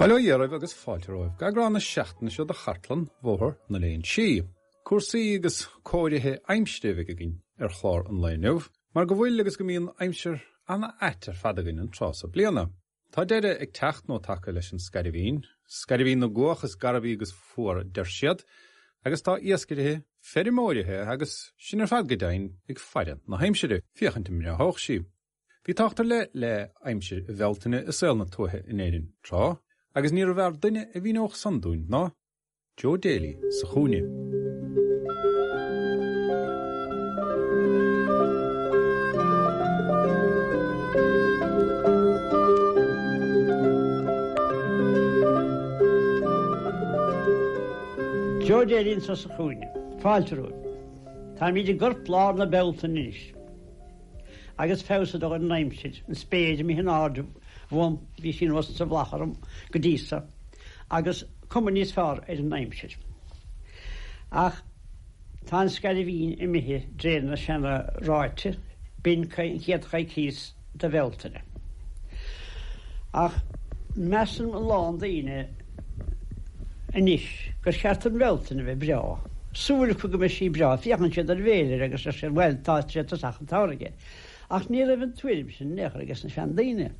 Bail ó Dhia oraibh agus fáilte romhaibh go eagrán na seachtaine seo de Chartlann Bhóthar na Léinsí. Cúrsaí agus cóirithe aimsire a bheidh againn ar chlár an lae inniu, mar go bhfuil agus go mbíonn aimsir ana-ait ar fad againn an tráth so bliana. Tá deireadh ag teacht nó tagtha leis an scairbhín, scairbhín na gcuach is garbhaí agus fuar a deir siad, agus tá iascairithe, feirmeoirithe agus sinn ar fad go deimhin ag faire na haimsire, féachaint an mbreáthódh sí. Bhí tábhacht ar leith le aimsir Bhealtaine i saol na tuaithe in Éirinn tráth, agus níorbh fhearr duine a mhíneodh san dúinn ná. Joe Daly sa chúinne. Joe Daly anseo sa chúinne. Fáilte romhaibh. Táimid i gcorplár na Bealtaine anois. Agus feabhas ag dul ar an aimsir, an spéir imithe in airde uaim, bhí sí anuas sa mhullach orm go dtí so, agus cuma níos fearr ar an aimsir. Ach tá an scairbhín imithe d'réir na seana-ráite, b'in an chéad choicíos de Bhealtaine. Ach measann a lán daoine anois gur cheart don Bhealtaine a bheith breá. Súil acu go mbeidh sí breá. Féachann siad ar an bhféilire agus deir siad, bhuel, tá sé tosach an tsamhraidh. Ach ní raibh an tuairim sin in aon chor ages na seandaoine.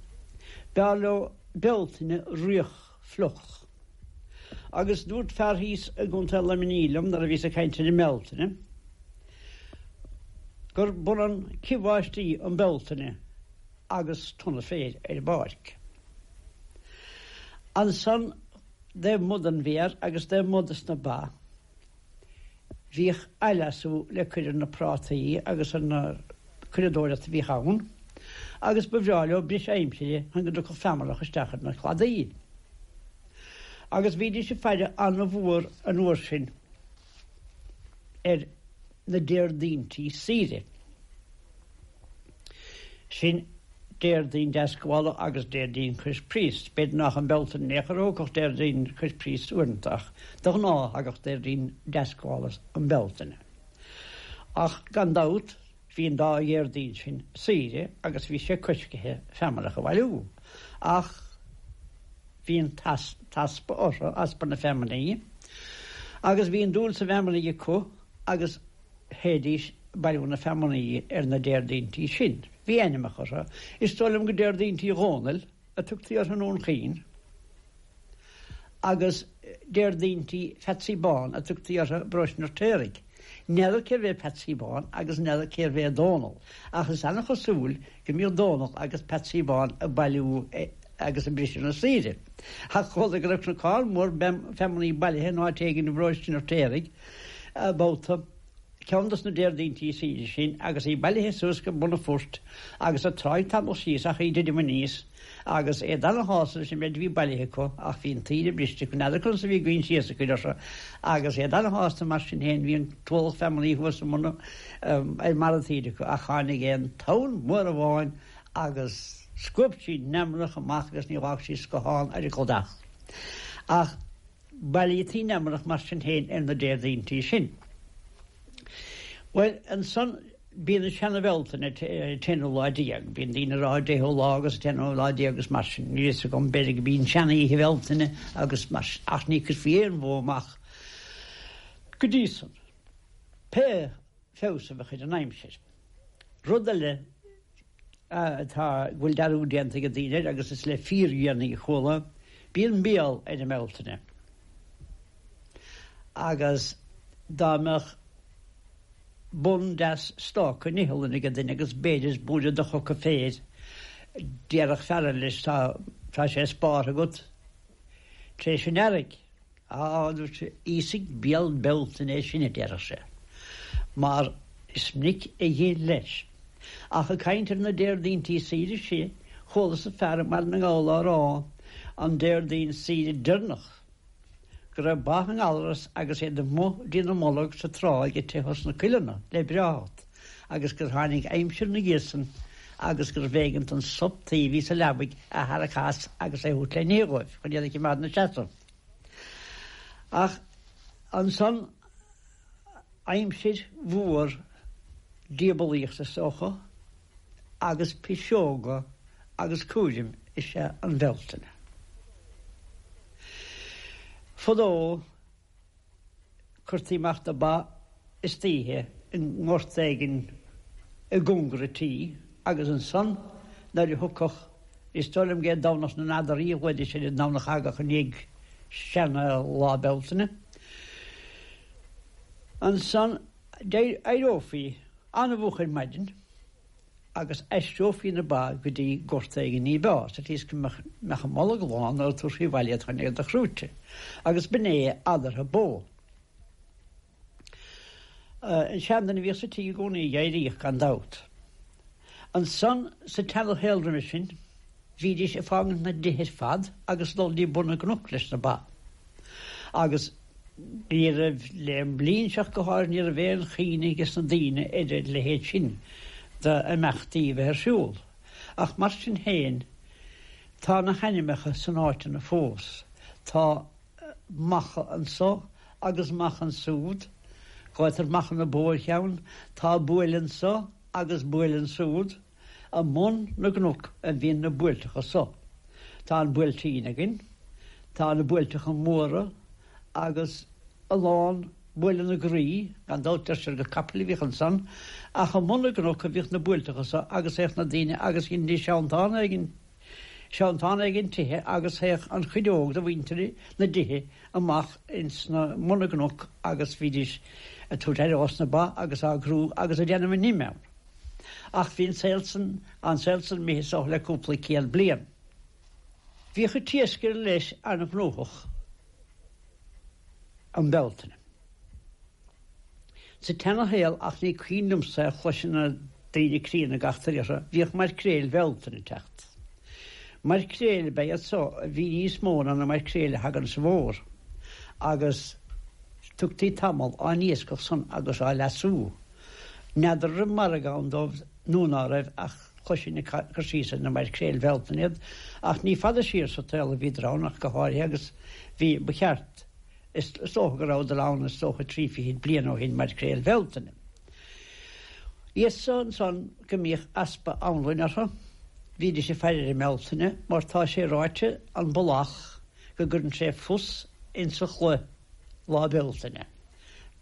B'fhearr leo Bealtaine fhraoch fliuch. Agus dúirt fear thíos i gContae Luimnigh liom nuair a bhíos ag caint ar an mBealtaine, gur b'ionann cith bháistí um Bealtaine agus tonna féir ar an bpáirc. Ansan taobh amuigh den bhféar agus taobh amuigh dos na ba, bhíodh athleasú le cur ar na prátaí agus ar na curadóireacht a bhíodh ann agus ba bhreá leo briseadh aimsire chun go dtiocfadh feamnach isteach ar na cladaí. Agus bhídís ag faire an-mhór an uair sin ar na Déardaointí saoire. Sin Déardaoin Deascabhála agus Déardaoin Cois Príost. B'fhéidir nach um Bealtaine in aon chor a thiocfadh Déardaoin Cois Príost uaireanta ach de ghnáth thagadh Déardaoin Deascabhála um Bealtaine. Ach gan dabht bhí an dá Dhéardaoin sin saoire agus bhí sé coiscithe feamnach a bhailiú. Ach bhí an t-easpa orthu, easpa na feamnaí, agus bhí an dúil sa bhfeamnaigh acu agus théidís ag bailiú na feamnaí ar na Déardaointí sin. Bhí ainmneacha orthu. Is dóigh liom gur Déardaointí Dhónaill a tugtaí orthu i nDún Chaoin agus Déardaointí Pheatsaí Bán a tugtaí orthu i bparóiste an Fheirtéaraigh. N'fheadar cérbh é Peatsaí Bán agus n'fheadar cérbh é Dónall ach is an-chosúil go mbíodh Dónall agus Peatsaí Bán ag bailiú agus ag briseadh na saoire. Ach chuala go raibh cnocán mór feamnaí bailithe in áit éigin i bparóiste an Fheirtéaraigh babhta, ceann dos na Déardaointí saoire sin, agus í bailithe suas go bun an phoirt agus an tráigh tamall síos ach í ag titim aníos agus iad ana-shásta leis an méid a bhí bailithe acu ach bhí an tsaoire briste acu, n'fheadar conas a bhí a gcoinsias ag cur orthu agus iad ana-shásta mar sin féin, bhí an t-ualach feamnaí thuas i mbun ar mbarr an tsaoire acu ach tháinig aon tonn mhór amháin agus scuab sí an fheamnach amach agus ní dh'fhág sí scathán ar an gcladach. Ach bailítí an fheamnach mar sin féin ar na Déardaointí sin. Bhuel, ansan bíonn an seana-Bhealtaine an t-aonú lá déag, bíonn daoine ag rá an deichiú lá agus an t-aonú lá déag agus mar sin, níl fhios agam, b'fhéidir go b'í an sean-oíche Bhealtaine agus mar sin, ach ní cuirfí aon bhó amach go dtí san, pé feabhas a bheadh ar an aimsir. Rud eile atá, go bhfuil dearúd déanta ag daoine air agus is le fíordhéanaí a chuala, bíonn béal ar an mBealtaine agus dá mbeadh bun deas stáca in iothlainn ag duine agus b'fhéidir buaile de choca féir, déarfadh fear eile leis tá, tá sé spártha agat tar éis an earraigh. Á, dúirt sé, íosfaidh béal Bealtaine é sin, a déarfadh sé, mar is minic a dh'ith leis. Ach ag caint ar na Déardaointí saoire sin, chualas-sa fear i mBaile na nGall á rá an Déardaoin saoire deireanach. go raibh ba i ngalras agus iad amuigh dtína mbolg sa tráigh ag teitheadh sna coileanna le breáthacht agus gur tháinig aimsir na dhiaidh san agus gurbh éigean an sop tuí a bhí sa leabaidh a tharrac as agus é a thabhairt le n-ithe dhóibh chun iad a chimeád 'na seasamh. Ach ansan aimsir mhór diabalaíochta is dócha agus piseoga agus cúraim is ea an Bhealtaine. Fadó cuirtí amach na ba istoíche i ngort éigin i gcóngar an tí agus ansan nuair a thiocfadh, is dóigh liom gurb é Domhnach na nAdaraí a ghlaoidís ar an nDomhnach a thagadh i ndiaidh seana Lá Bealtaine, ansan d'éireofaí an-mhoch ar maidin agus aistreofaí na ba go dtí gort éigin ní b'fhearr, sa tslí is go mbeadh a mbolg lán nuair a tabharfaí abhaile iad chun iad a chrúite. Agus b'in é adartha bó. An seanduine a bhíodh sa tigh i gcónaí a d'éiríodh, gan dabht. Ansan, sa tseana-shaol roimhe sin, bhídís ag fágaint na dtithe ar fad agus dul dtí bun na gcnoc leis na ba. Agus ní raibh, le an bhliain seo ach go háirithe, ní raibh aon chuimhne ages na daoine ar a leithéid sin d'imeachtaí a bheith ar siúl. Ach mar sin féin, tá na hainmneacha san áiteanna fós. Tá macha anso agus macha ansúd, glaotar Macha na Bó ar cheann, tá buaile anso agus buaile ansúd. I mbun na gcnoc a bhíonn na buailteacha so. Tá an Buailtín againn, tá na Buailteacha Móra agus a lán Buaile na Graí, gan dabht deirtear gur capaill a bhíodh ansan, ach i mbun na gcnoc a bhíodh na buailteacha so agus théadh na daoine agus dheinidís seantán éigin, seantán éigin tithe agus théadh an chuid óg de mhuintir na dtithe amach ins na mbun na gcnoc agus bhídís ag tabhairt aire dhos na ba agus á gcrú agus ag déanamh a n-im ann. Ach bhí an saol san, an saol san imithe is dócha le cúpla céad bliain. Bhíodh an t-iascaire leis an-ghnóthach um Bealtaine. Sa tseana-shaol, ach ní cuimhin liomsa é chloiseadh na daoine críonna ag eachtraí orthu, bhíodh maircréil Bhealtaine ag teacht. Maircréil ab ea iad so a bhí níos mó ná na maircréil a thagann sa bhfómhar, agus tugtaí tamall á n-iascach san agus á leasú. N'fheadar an raibh margadh ann dóibh nó ná raibh ach chloisinn ag cur síos ar na maircréil Bhealtaine iad ach ní fada siar sa tsaol a bhíodar ann ach go háirithe agus bhí, ba cheart, is dócha go rabhadar ann is dócha 30 fichid bliain ó shin, maircréil Bhealtaine. Iad so ansan go mbíodh easpa anlainn orthu, bhídís ag faire ar an mBealtaine mar tá sé ráite an Ballach go gcuireann sé fus insa chulaith Lá Bealtaine.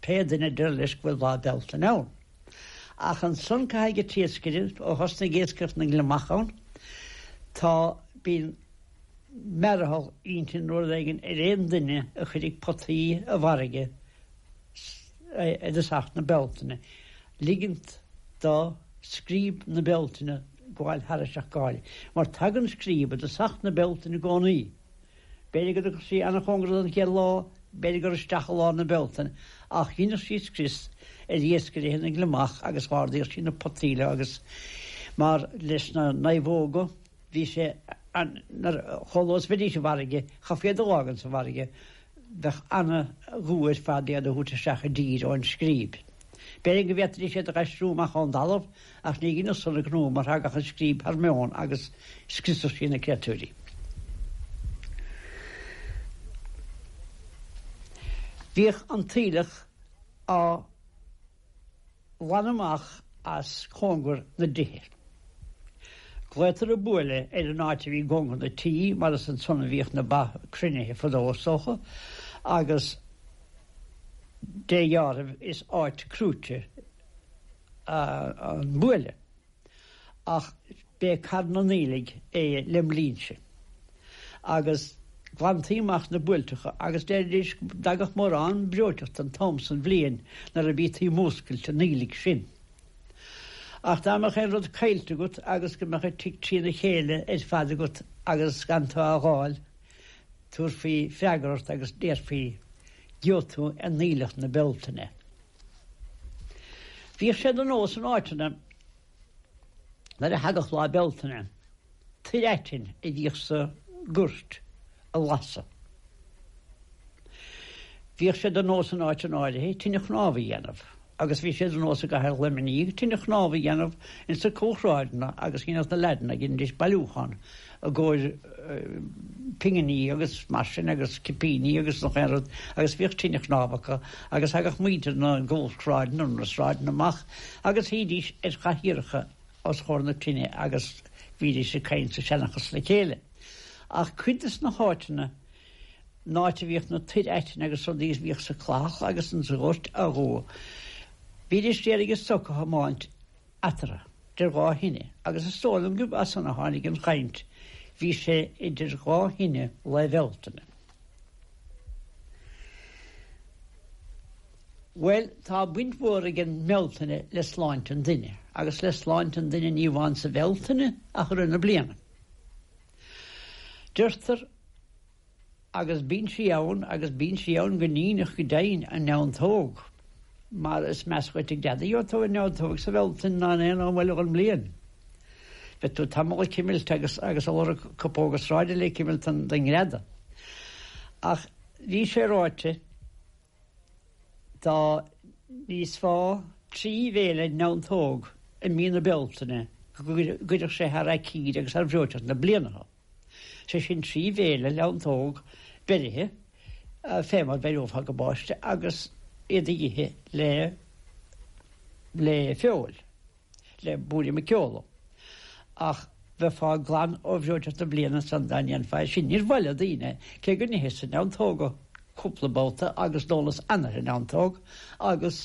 Pé duine a deir leis go bhfuil Lá Bealtaine ann. Ach ansan caithfidh an t-iascaire, ó thosnaigh iascaireacht na ngliomach ann, tá, bíonn mearathal intinne nó rud éigin ar aon duine a chuirfidh potaí i bhfarraige i dtosach na Bealtaine, ligint do scríob na Bealtaine gabháil thairis ach go háirithe. Mar tagann scríob i dtosach na Bealtaine i gcónaí. B'fhéidir go dtiocfadh sí an-chóngarach don chéad lá, b'fhéidir gur isteach i lár na Bealtaine, ach dheineadh sí scrios ar iascairithe na ngliomach agus dh'ardaíodh sí na potaí leo agus mar leis na naomhóga bhí sé an, nuair, chomh luath is a bheidís i bhfarraige, chaithfí iad a dh'fhágaint sa bhfarraige, bheadh ana-dhua ar fad iad a thabhairt isteach i dtír ón scríb. B'fhéidir go bhféadfaidís iad a dh'aistriú amach ón dtalamh ach ní dheineadh san a gnó mar thagadh an scríb thar meon agus scriosadh sí na créatúirí. Bhíodh an t-aoileach á ghlanadh amach as cóngar na dtithe. Glaotar an buaile ar an áit a bhí i gcóngar na tí mar is ansan a bhíodh na ba cruinnithe fadó is dócha agus dé dheáraimh is áit crúite an buaile ach b'é Carn an Aoiligh é lem linnse. Agus ghlantaí amach na buailteacha agus deiridís go dtagadh mórán breoiteachta an t-am san bhliain nuair a bhítí múscailt an aoiligh sin. Ach dá mbeadh aon rud caillte agat agus go mbeadh an tigh trína chéile ar fad agat agus gan tú á dh'fháil, tabharfaí freagra ort agus déarfaí, Gheobhaidh tú in aoileach na Bealtaine. Bhíodh sé de nós in áiteanna nuair a thagadh Lá Bealtaine toir aitinn a bhíodh sa gcúirt a lasadh. Bhíodh sé de nós in áiteanna áirithe tine chnámh a dhéanamh agus bhí sé de nós i gcathair Luimnigh tine chnámh a dhéanamh ins na cúlshráideanna agus dhéanadh na leaideanna, dheinidís bailiúchán i gcomhair pinginí agus mar sin agus cipíní agus nach aon rud agus bhíodh tine chnámh acu agus thagadh muintir na gcúlshráideanna nó na sráideanna amach agus shuídís ar chathaoireacha os comhair na tine agus bhídís ag caint sa seanchas le chéile. Ach cuid des na háiteanna, an áit a bhíodh na toir aitinn agus rudaí a bhíodh sa chlathach agus insa ghort á dhó, bhídís d'iarraidh a stoc a thiomáint eatarthu, idir dhá thine, agus is dóigh liom gurb as san a tháinig an chaint, bhí sé idir dhá thine Lá Bealtaine. Bhuel, tá baint mhór ag an mBealtaine le sláinte an duine, agus le sláinte an duine ní amháin sa Bhealtaine ach i rith na bliana. Deirtear, agus bíonn sí ann, agus bíonn sí ann go ndíneach go deimhin, an neantóg, mar is measa dhuit ag deadaí ó tú an neantóg sa Bhealtaine ná in aon am eile dhon mbliain. Bheadh tú tamall ag cimilt agus agus ag lorg cupóga sráide le cimilt den ngreadadh. Ach bhí sé ráite dá n-íosfá trí bhéile neantóg i mí na Bealtaine go gcuirfeadh sé thar aicíd agus thar bhreoiteacht na bliana thú. Sé sin trí bhéile neantóg beirithe fé mar bheireofá gabáiste agus iad a dh'ithe le le feoil. le buairim muiceola. Ach bheifeá glan ó bhreoiteacht na bliana san dá ndéanfá é sin. Níor mhaith le daoine, cé go n-itheas-sa neantóga cúpla babhta agus d'ólas an-oiread neantóg agus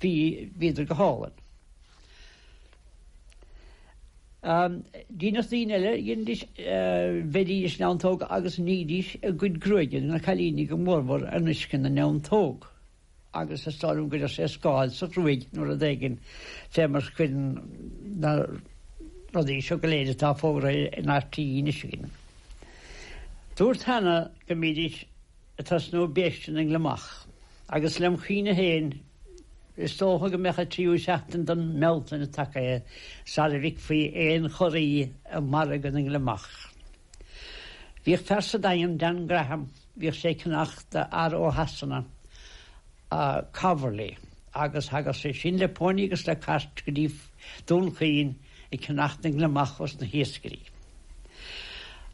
bhí, bhíodar go hálainn. Deineadh daoine eile, dheinidís, bheiridís neantóga agus nídís a gcuid gruaige, na cailíní go mórmhór, in uisce na neantóg. agus is dóigh liom go gcuireadh sé scáil sa ghruaig nó rud éigin fé mar a chuireann na rudaí seo go léir atá fógraithe in RTÉ anois againn. Dúrt cheana go mbídís ag tosnú béiste na ngliomach agus lem chuimhne féin is dócha go mbeadh an tríú seachtain den mBealtaine tagaithe sara bhficfí aon chorraí i margadh na ngliomach. Bhíodh fear sa Daingean, Dan Graham, Bhíodh sé ag ceannach d'fhear ó Shasana, Calverley, agus thagadh sé sin le pony agus le cairt go dtí Dún Chaoin ag ceannacht na ngliomach os na hiascairí.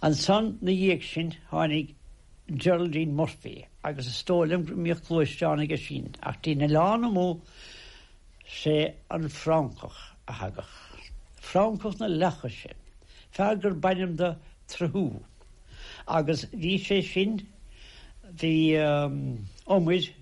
Ansan 'na dhiaidh sin tháinig Geraldine Murphy agus is dóigh liom go mbíodh gluaisteán aige sin ach dtí'n Oileán Amuigh sé an Francach a thagadh. Francach na Leathchoise, fear gur b'ainm do Trehu. Agus bhí sé sin, bhí umair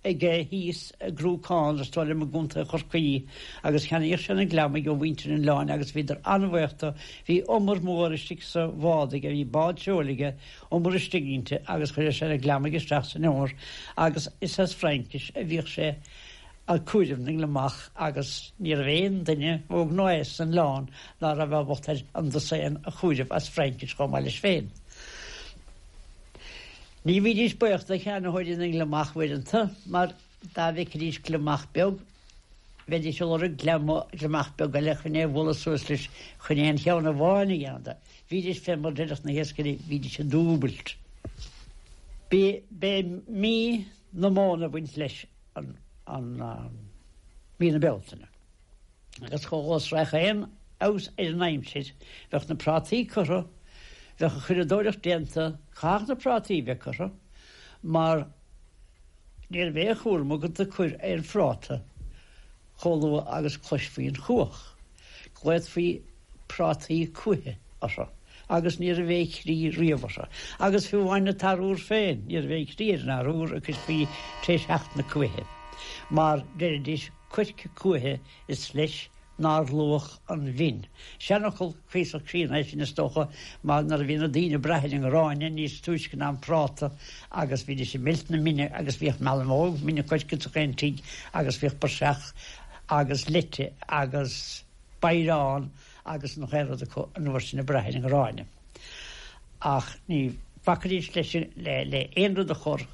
aige thíos i gCruacán, is dóigh liom i gContae Chorcaí, agus cheannaíodh sé na gliomaigh ó mhuintir an oileáin agus bhíodar an-bhaoch do, bhí umar mór istigh sa bhád aige, bhí bád seoil aige, umar istigh inti agus chuireadh sé na gliomaigh isteach san umar agus is as Fraincis a bhíodh sé ag cúireamh na ngliomach agus ní raibh aon duine, óg ná aosta san oileán ná raibh ábalta ar an dosaen a chúireamh as Fraincis chomh maith leis féin. Ní bhídís baoch do cheannaitheoirí na ngliomach uaireanta mar dá bhfeicfidís gliomach beag bheidís ag lorg gliomach beag eile chun é a bhualadh suas leis chun aon cheann amháin a dhéanamh de. Bhídís fé mar deireadh na hiascairí, bhídís ag dúbailt. B'é mí na móna a bhaint leis an mí na Bealtaine. Agus chomh luath is a raghadh aon fheabhas ar an aimsir, bheadh na prátaí curtha, bheadh an churadóireacht déanta, chaithfeadh na prátaí bheith curtha, mar ní raibh aon chúram agat ag cur aon phráta chomh luath agus cloisfí an chuach. Glaodfaí prátaí cuaiche orthu agus ní raibh aon chrí riamh orthu. Agus fiú amháin an t-arúr féin, ní raibh aon chrí ar an arúr a cuirfí tar éis theacht na cuaiche, mar deiridís coirce cuaiche is leis nár luach an mhin. Seanfhocal cuíosach críonna é sin is dócha, mar nuair a bhí na daoine ag brath ar an ngráinne níos túisce ná an práta agus bhídís ag meilt na mine agus bhíodh mealbhóg mine coirce ins chaon tigh agus bhíodh praiseach agus leite agus bodhrán agus an chaon rud acu an uair sin ag brath ar an ngráinne. Ach ní bhacaidís leis le aon rud a chur.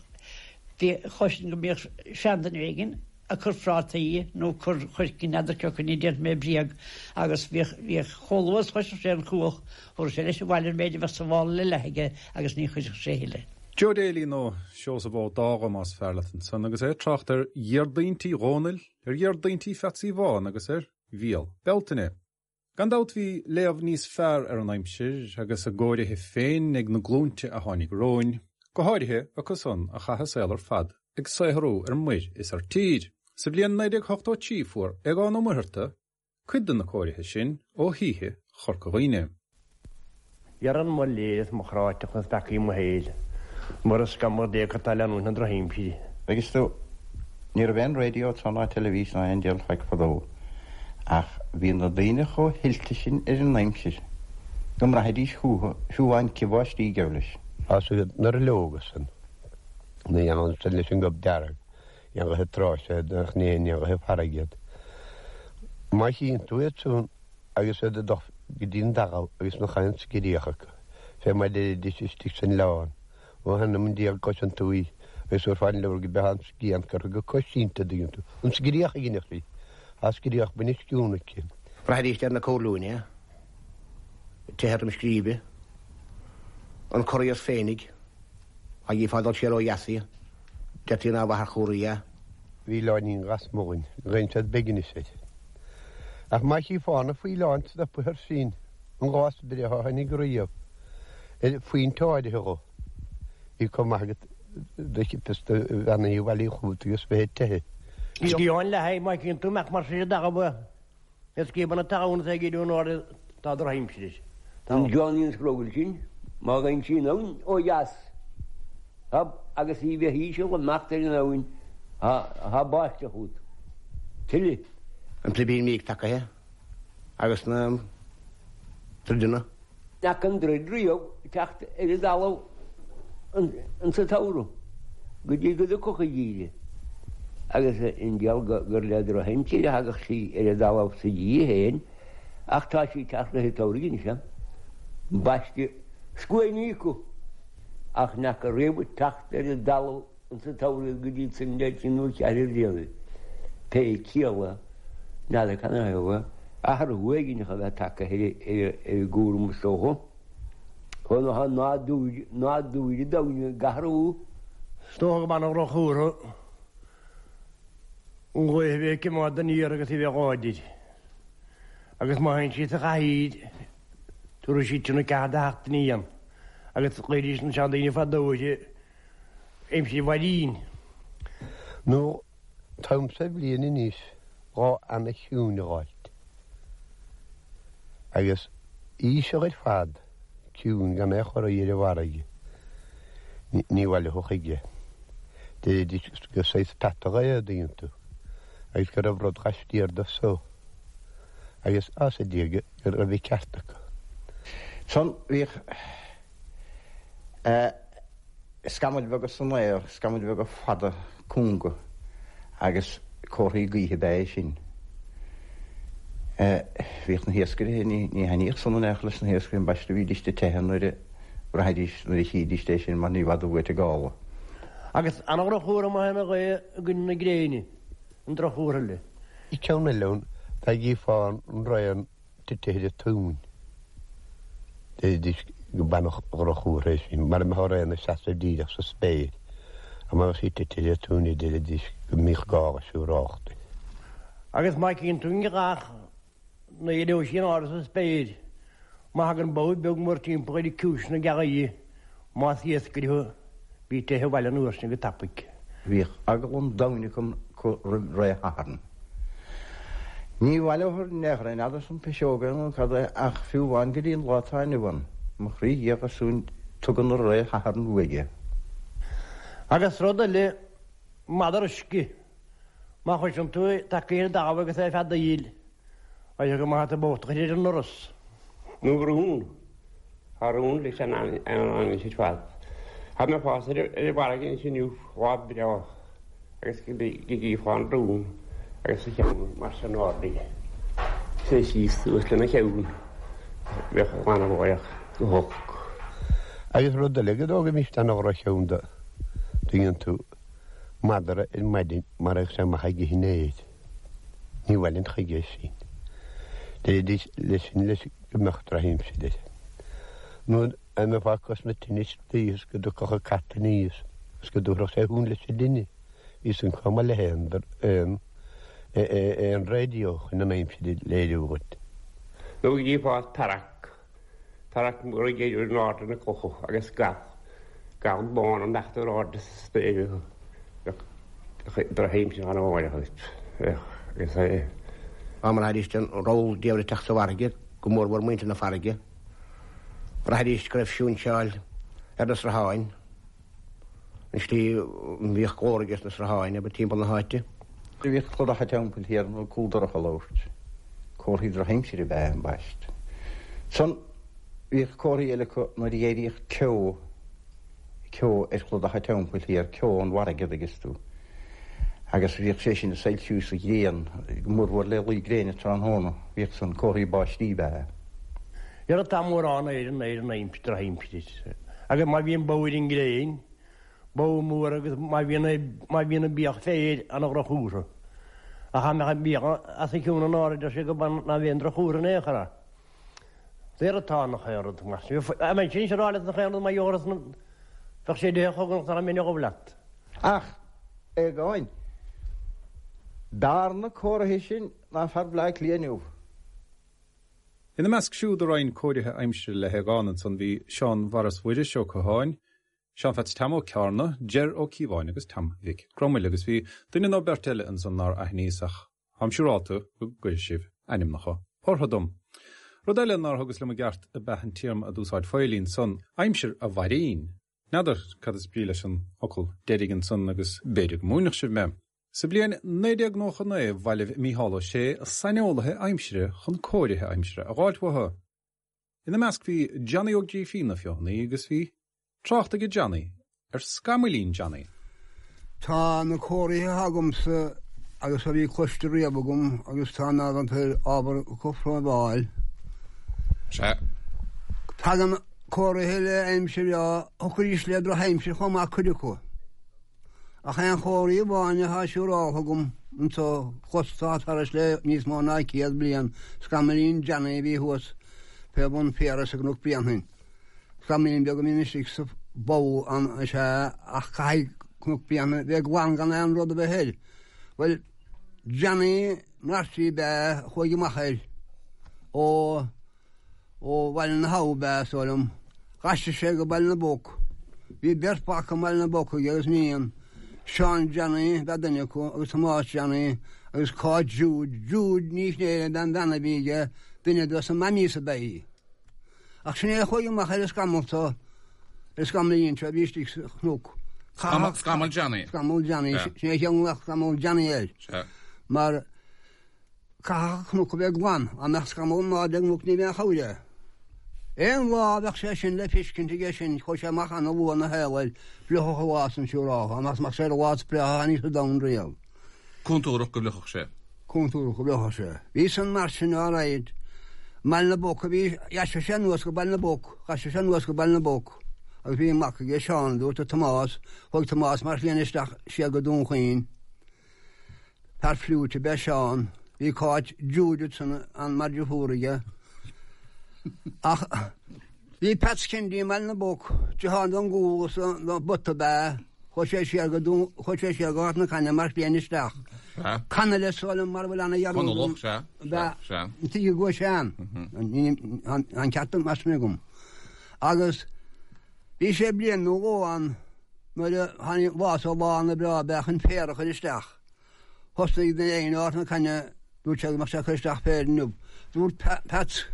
Bhí chloisinn go mbíodh seanduine éigin ag cur phrátaí nó cur choirce n'fheadar cé acu ní déanfaidh mé bréag agus bhíodh bhíodh chomh luath is chloisfeadh sé an chuach thabharfadh sé leis abhaile an méid a bheadh sa mhála le leath aige agus ní chuirfeadh sé a thuilleadh. Joe Daly nó Seosamh Ó Dágha más fearr leat ansan agus é ag trácht ar Dhéardaointí Dhónaill, ar Dhéardaointí Pheatsaí Bháin agus ar Bhéal Bealtaine. Gan dabht bhí léamh níos fearr ar an aimsir agus a gcóirithe féin ag na glúinte a tháinig romhainn, go háirithe acu san a chaith a saol ar fad ag saothrú ar muir is ar tír. Sa bhliain 1983 fuair Aogán Ó Muircheartaigh cuid de na cóirithe sin ó shaoithe Chorca Dhuibhne. Dhearn mo léir is mo chráiteacht is peacaí mo shaoil, mura scamall Dé acu atá leanúint na drochaimsire. Agus tú, ní raibh aon raidió tráth ná teilifís ná aon diabhal faic fadó, ach bhí na daoine chomh hoilte sin ar an aimsir go mbraithfidís fúthu fiú amháin cith báistí ag gabh leis. Tá siad na roilleoga san, na dhéanann san leis an gob dearg, éanlaithe tráis iad, nach n-aon éanlaithe farraige iad. Má chíonn tú iad san, agus iad ag dul go dtí an talamh agus nach aon scréach acu, fé mar deiridís istigh san oileán, ó th'anam 'on diabhal cloiseann tú í agus thabharfá an leabhar go mbeadh an scian curtha go coitianta, an dtuigeann tú, an scréach a dhéanfadh sí, tá scréach bainne sciúin aici. Bhraithidís ar na comhairliúin é, teitheadh Dhroim Scríbe, an corraíos féinig. Dá gcífeá ag dul siar ó dheas í, deirtí nár mhaith ar chor í. Bhí oileáinín lasmuigh dhúinn, glaonn siad Beiginis air. Ach má chífeá na faoileáin stoptha air sin, an lá is breátha a tháinig riamh, ar phointe áirithe dho, bhí chomh maith agat do chipeas do bheannaí a bhailiú chugat agus bheith ag teitheadh. Scian le haghaidh má chíonn tú amach mar sin i dtalamh Is scríobann an talún is é ag éirí in airde tá drochaimsir. An Johnny an scrogall sin, má gheibheann sí an abhainn ó dheas, tá, agus í bheith íseal imeacht ar an abhainn, tá báisteach fút. Tuile. An plibín míoc tacaithe agus na troideanna. N'fheaca an troid riamh teacht ar an dtalamh insa tsamhradh go dtí go dtiocfadh an geimhreadh, agus an diabhal gur le drochaimsir a thagadh sí ar an dtalamh sa gheimhreadh féin, ach tá sí ag teacht rith an tsamhraidh anois, baisteadh scuainí acu, ach n'fheaca riamh teacht ar an dtalamh Insa tsamhradh go dtí san le trí nó ceathair bhliana, pé ciall é, n'fheadar canathaobh, athrú éigin a bheith tagtha ar an gcúram is dócha. Ó ná nádúr, nádúr an domhain ag athrú. Is dócha go mb'an droch-chomhartha an ghaoth a bheith ag coimeád aniar agus í a bheith láidir. Agus má théann sí sa chathaoir, tabharfaidh sí tionn 4 do theacht aniar. Agus ghlaoidís na seandaoine fadó uirthi Aimsir Mhairín. Nó táim sa bhliain anois lá ana chiúin a dh'fháilt. Agus íseal ar fad, ciúin gan aon chorraí ar an bhfarraige. Ní bhaileofá chuige. Deiridís gur saghas peatach é, an dtuigeann tú, agus go raibh rud laistiar de so. Agus as a Dia go raibh an ceart acu. San bhíodh. Scamaill bheaga san aer, scamaill bheaga fada cúnga agus comharthaí gaoithe ab ea é sin. Bhíodh na hiascairí, ní thaitníodh san in aon chor leis na hiascairí, ambaiste, bhídís ag teitheadh nuair a bhraithidís, nuair a chídís é sin mar ní i bhfad uait an gála. Agus an-dhroch-chomhartha má théann an ghaoth i gcoinne na gréine, an droch-chomhartha eile. Ceann eile ann, dá gcífeá an raon tite ar an tóin. Deiridís go b'an-dhroch-chomhartha é sin, mara mbeadh an raon ina seasamh díreach sa spéir, ach má bheadh sí tite ar an tóin deiridís go mbíodh gála siúrálta. Agus má chíonn tú an ghealach nuair a éireoidh sí in airde sa spéir, má thagann bogha beag mórtimpeall ar ciumhais na gealaí, más iascaire thú, bí ag teitheadh abhaile an uair sin go tapaidh. Bhíodh eagla an domhain acu roimh ré Shathairn. Ní bhaileofar in aon chor é, n'fheadar an piseog é nó cad é, ach fiú amháin go dtí an lá atá inniu ann, mo chroí dhiagharsúin, tugann an ré Shathairn uaidh é. Agus rud eile, madra uisce, má chloiseann tú é tagtha ar an dtalamh agus é ag feadaíl, Oidhre go maith atá bocht ar an ndoras. Nó rún. Tá rún leis an anois ar fad. Tá mé fós ar an bhfarraige anois inniu, lá breá, agus go gcífeá an rún agus a cheann mar sin ardaithe. Is é síos suas lena cheann. Bheadh an lánamháireach go holc. Agus rud eile go dtógaimis ana-dhroch-cheann de, tuigeann tú, madra ar maidin mar a bheadh sé amach ag ithe an fhéir. Ní bhaileann chuige sin. Deiridís leis sin leis go mbeadh drochaimsir air. Nó. Dá mbeifeá ag cosmaint tine sa tslí is go dtiocfadh an cat aníos is go dtabharfadh sé shuan leis an dtine, bhí san chomh maith le haon aon raidió chun an aimsir a léiriú dhuit. Nó go gcífeá tarrac, tarrac mór ag éirí in airde na clocha agus gal, gal bán ag imeacht in airde sa spéir bheadh drochaimsir ann amárach duit. Bheadh agus é. Dá mbraithfidís an rabhadh diabhail ag teacht sa bhfarraige, go mórmhór muintir na farraige, Bhraithidís go raibh siúinseáil ar na srutháin, an tslí a mbíodh glór aige sna srutháin, abair, timpeall na háite. Bhíodh cladach an teampaill thiar nó cúl dorcha a labhairt. Comharthaí drochaimsire ab ea ambaist. Ansan bhíodh comharthaí eile acu nuair a d'éiríodh ceo. ceo ar chludach an teampaill thiar, ceo ón bhfarraige, an dtuigeanns tú. Agus bhíodh sé sin ag soilsiú sa ghrian, go mórmhór le luí gréine tráthnóna, bhíodh san, comharthaí báistí ab ea é. Ní raibh tá mórán ar an ar an aimsir, drochaimsir. Agus má bhíonn bó ar an ngréin, bó mór agus má bhíonn má bhíonn an biadh féir ana dhroch-chomhartha. Ach dá mbeadh an biadh as a cionn in airde deir sé go ná bheadh aon droch-chomhartha in aon chor ann. Saor atá nach aon rud mar sin. Bheinn sin ag rá leat nach aon rud mar gheall ar bheadh sé de chogadh nach mbeinn a ghabh leat. Ach, a Aogáin, b'fhearr na comharthaí sin ná fear Bhaile Átha Cliath inniu. Ina measc siúd a roinn cóirithe aimsire le hAogán ansan bhí Seán Mharas Mhuiris Ó Catháin, Seán Pheats Team Ó Cearna, Jer Ó Cíobháin agus Tom Mhic Gromaill agus bhí duine nó beirt eile ansan nár aithníos ach Táim siúrálta go gcuirfidh sibh ainmneacha orthu dom. Rud eile nár thugas liom i gceart ab ea an téarma a d'úsáid Faoilí ansan, aimsir a' bhairín. N'fheadar cad is brí leis an fhocal deiridh ansan agus b'fhéidir go múinfeadh sibh mé. Sa bhliain 1999 bhailigh Mícheál Ó Sé saineolaithe aimsire chun cóirithe aimsire a dh'fháilt uathu. Ina measc bhí Johnny Ó Grífín na Feothanaí agus bhí Trácht aige Johnny ar scamaillín Johnny. Tá na comharthaithe agamsa agus a bhí cloiste riamh agam agus tá in ann ábhar cothromháil. Sea. Tagann comharthaithe le aimsir bhreá, thiocfaidís le drochaimsir chomh maith cuid acu. Ach aon chomharthaí amháin atá siúráltha agam anso chloistá thairis le níos mó ná 100 bliain, scamaillín Johnny a bhí thuas fé bhun féara sa gCnoc Bréanainn. Scamaillín beag a bhíonn istigh sa bpoll ann is ea ach caithfidh Cnoc Bréanainn bheith glan gan aon rud a bheith air. Bhuel, Johnny Murphy ab ea a chuaigh amach air ó ó Bhaile na hAbha ab ea, is dóigh liom. D'aistrigh sé go Baile na bPoc. Bhí beirt mhac i mBaile na bPoc aige agus iníon. Seán Johnny ab ea duine acu agus Tomás Johnny agus Cáit Jude. Jude Ní Chnéire ab ea an bhean a bhí aige, duine dos na mammies ab ea í. Ach sin é a chuaigh amach ar an scamall seo, ar an scamaillín seo a bhí istigh sa chnoc. Scamall Johnny. Scamall Johnny, sin é a cheangal scamall Johnny air. Mar caithfidh an cnoc a bheith glan, dá mbeadh scamall in airde ar an gcnoc ní bheadh aon chabhair air. Aon lá a bheadh sé sin le feiscint aige sin, chuaigh sé amach ana-luath ina shaol air, fliuchfadh an lá san siúráltha, amach is amach sé ar an lá is breátha a tháinig sa domhan riamh. Contúrach go bhfliuchfadh sé. Contúrach go bhfliuchfadh sé. Bhí san mar sin alright. I mBaile na bPoc a bhí, d'aistrigh sé anuas go Baile na bPoc, d'aistrigh sé anuas go Baile na bPoc agus bhí mac aige Seán, dúirt Tomás, chuaigh Tomás mar chlainne isteach siar go Dún Chaoin. Fear fliúit ab ea Seán. Bhí Cáit Jude ansan ann mar dheirfiúr aige. Ach bhí Peats Kennedy i mBaile na bPoc, deartháir don gcúl is don bpota ab ea. Chuaigh sé siar go Dún, chuaigh sé siar go Ghort na Cainne mar chliaint isteach. Sea. Canaille is dóigh liom mar a bhfuil ana dhearúd. Conallach, sea. Sea, sea. An tuige go bhfuil sé ann. Tá an ceart mar sin agam. Agus bhí sé bliain nó dhó ann nuair a tháinig lá so lá ana breá ab ea chun féar a chur isteach. Thosnaigh duine éigin i nGort na Cainne, dúirt sé go mbeadh sé ag cur isteach féir inniu. Dúirt Peats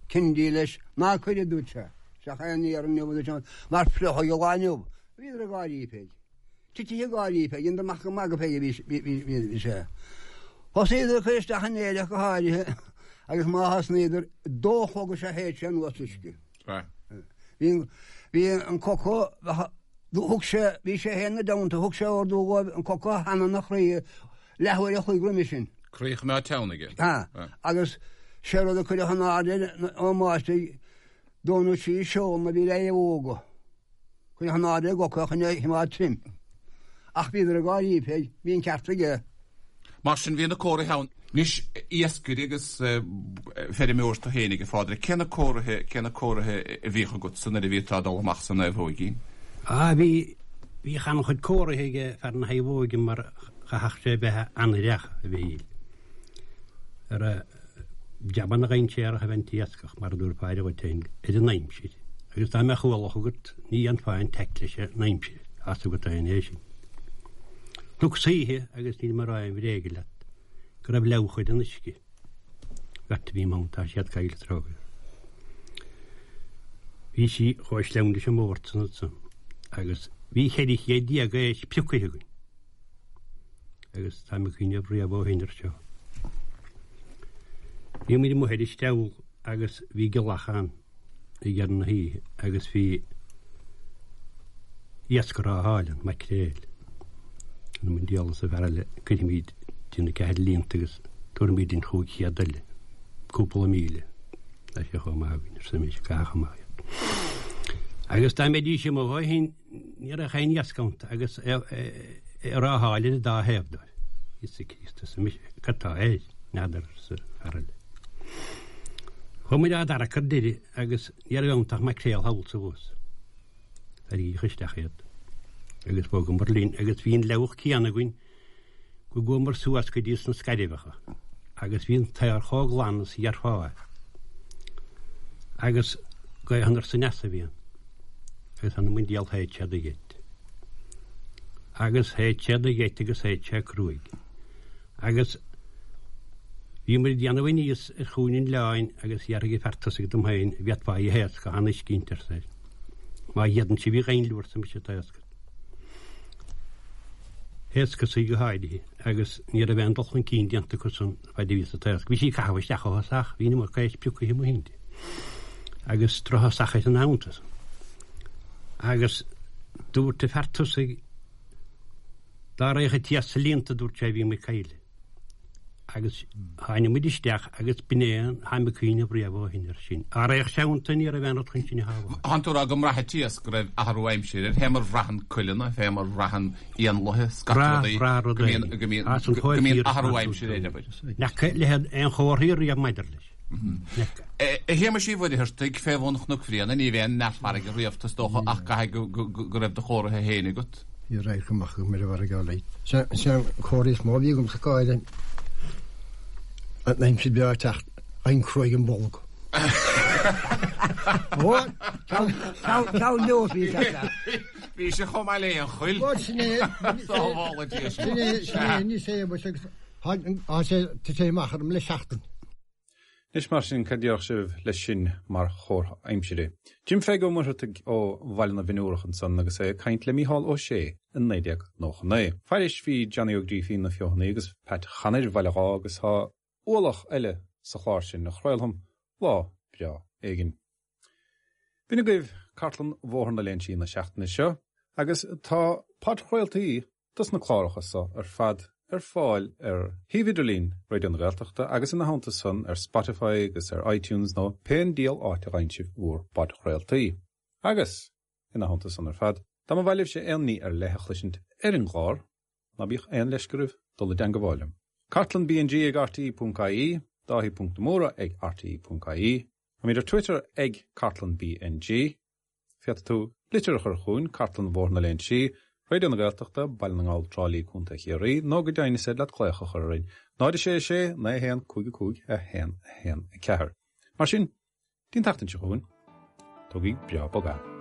Kennedy leis, ná cuir, a dúirt sé, isteach aon fhéar inniu, a dúirt sé, mar fliuchfaidh an lá inniu. Bhíodar ag gáirí fé. Titithe ag gáirí fé, dheineadar amach ag magadh fé a bhí sé. Thosnaíodar ag cur isteach an fhéir ach go háirithe agus má thosnaíodar, dó a chlog is ea shéid sé anuas uisce. Bhí an coca, thug sé, bhí sé féin ina dteannta, thug sé ordú dhóibh an coca a theannadh ina chroí leathuair a chloig roimhe sin. Croí a choimeád teann aige. Agus sé rud a cuireadh in airde ón máistir, dó nó trí seol a bhí le óga. Cuireadh in airde i gcoca chun é a choimeád tirim. Ach bhíodar ag gáirí fé, bhí an ceart aige. Mar sin bhí na comharthaithe ann. Anois, iascaire agus feirmeoir tú fhéinig, a Phádraig, cé na comharthaithe, cé na comharthaithe a bhíodh agatsa nuair a bhíodh tú ag dul amach sa naomhóigín? Á, bhí, bhíodh an-chuid comharthaithe ag fear na naomhóige mar chaithfeadh sé bheith an-aireach, a Mhichíl, ar a jabanna dainséarach a bheith an t-iascach, mar a dúirt Pádraig dhuit féin, ar an aimsir. Agus dá mbeadh ualach agat, ní dhéanfá aon taic leis an aimsir, tá 's agat féin é sin. Chuacas oíche, agus níl mé ag rá aon bhréige leat, go raibh leabhach ar an uisce. Beirt a bhí ann, tá siad caillte trócaire. Bhí sí chomh sleamhain leis an mbord san ansan, agus bhí 1400 éisc piocaithe againn. Agus táim ag cuimhneamh riamh ó shin air seo. Bhí muid amuigh ar an steall agus bhí giolcach ann ag deireadh na hoíche agus bhí iasc á fháil ann, maicréil. Th'anam 'on diabhal arsa an fear eile, cuirfimid dínn 4 líonta agus tabharfaimid linn 500 eile, cúpla míle. Tá sé chomh maith againn, arsa mise, caithfeadh amach iad. Agus dá mbeidís amuigh ó shin, Ní raibh aon iasc iontu agus é ag rátháil ar an dá thaobh dóibh. Íosa Críost, arsa mise, cad tá air? N'fheadar, arsa an fear eile. Chuaigh muid á dtarrac ar deireadh agus ní raibh iontu ach maicréal thall is abhus. Tarraingíodh isteach iad agus bhogamar linn agus bhí an leabhach céanna againn go gcuamar suas go dtí sna Scairbheacha agus bhí an t-aer chomh glan is a dhéarfá é. Agus gaoth anoir is aneas a bhí ann. Agus th'anam 'on diabhal shéid sé do gheit. Agus shéid sé do gheit agus shéid sé cruaidh. Agus bhí muid ag déanamh aníos ar chúinne an oileáin agus dhearthaigh an fear tosaigh dom féin, an bhféadfá í a thaoscadh, tá an uisce inti, arsa é. Má fhéadann sibh í dhaingniú, arsa mise, taoscad. Thaoscas í go háirithe agus ní raibh aon dul chun cinn déanta acu san fad a bhíos ag taoscadh. Bhí sí ag caitheamh isteach ó thosach, bhí an iomarca éisc pioctha amuigh inti agus drochthosach ar an abhann Agus dúirt an fear tosaigh dá raghadh an t-iasc sa líonta, dúirt sé, bhí muid caillte. Agus tháinig muid isteach agus b'in é an táim ag cuimhneamh riamh ó shin air sin. Dá raghadh sé iontu ní raibh aon rud chun sinn a shábháil. Thánn tú ag rá go mbraitheann an t-iasc go raibh athrú aimsire air, fé mar bhraitheann coileanna, fé mar bhraitheann éanlaithe, scata rudaí, Brath, brath go mbíonn, go mbíonn, go mbíonn athrú aimsire air, abair. N'fheaca leithéid aon chomharthaí riamh maidir leis. A Shéamais Uí Mhuircheartaigh, fé bhun Chnoc Bhréanainn, ní bheidh aon neart farraige riamh, is dócha, ach caithfidh go raibh do chomhartha féin agat. Bhí radharc amach agam ar an bhfarraige uilig. Sé an comhartha is mó a bhí agamsa go háirithe an aimsir bhreá ag teacht, an cruaidh im bolg. Ceal nós bhí teacht leat. Bhí sé chomh maith le aon choill. Sin é, sin é, sin é, ní sé, agus Tá sé amach orm le seachtain. Anois mar sin, cad déarfadh sibh leis sin mar chomhartha aimsire? Jim Pheig Ó Muircheartaigh ó Bhaile na bhFionnúrach ansan agus é ag caint le Mícheál Ó Sé i 1999. Fairis bhí Johnny Ó Grífín na Feothanaí agus Pat Chanair Bhaile Dháith agus tá ualach eile sa chlár sin a chraolfam lá breá éigin. B'in agaibh cartlann Bhóthar na Léinsí na seachtaine seo agus tá podchraoltaí dos na cláracha so ar fad ar fáil ar shuíomh idirlín Raidió na Gaeltachta agus ina theannta san ar Spotify agus ar iTunes nó pén diabhal áit a bhfaigheann sibh bhúr bpodchraoltaí. Agus, ina theannta san ar fad, dá mba mhaith libhse aon ní ar leith a chloisint ar an gclár, ná bíodh aon leisce oraibh dul i dteangabháil liom. Cartlann BNG ag rte.ie, Dáithí ponc de Mórdha ag rte.ie, Táimid ar Twitter ag Cartlann BNG. Féadfaidh tú litir a chur chugainn, Cartlann Bhóthar na Léinsí, Raidió na Gaeltachta, Baile na nGall, Trá Lí, Co. Chiarraí, nó go deimhin is féidir leat glaoch a chur orainn, 0 6 6 9 1 5 5 1 1 4. Mar sin, dtí'n tseachtain seo chugainn, tógaigí breá bog é.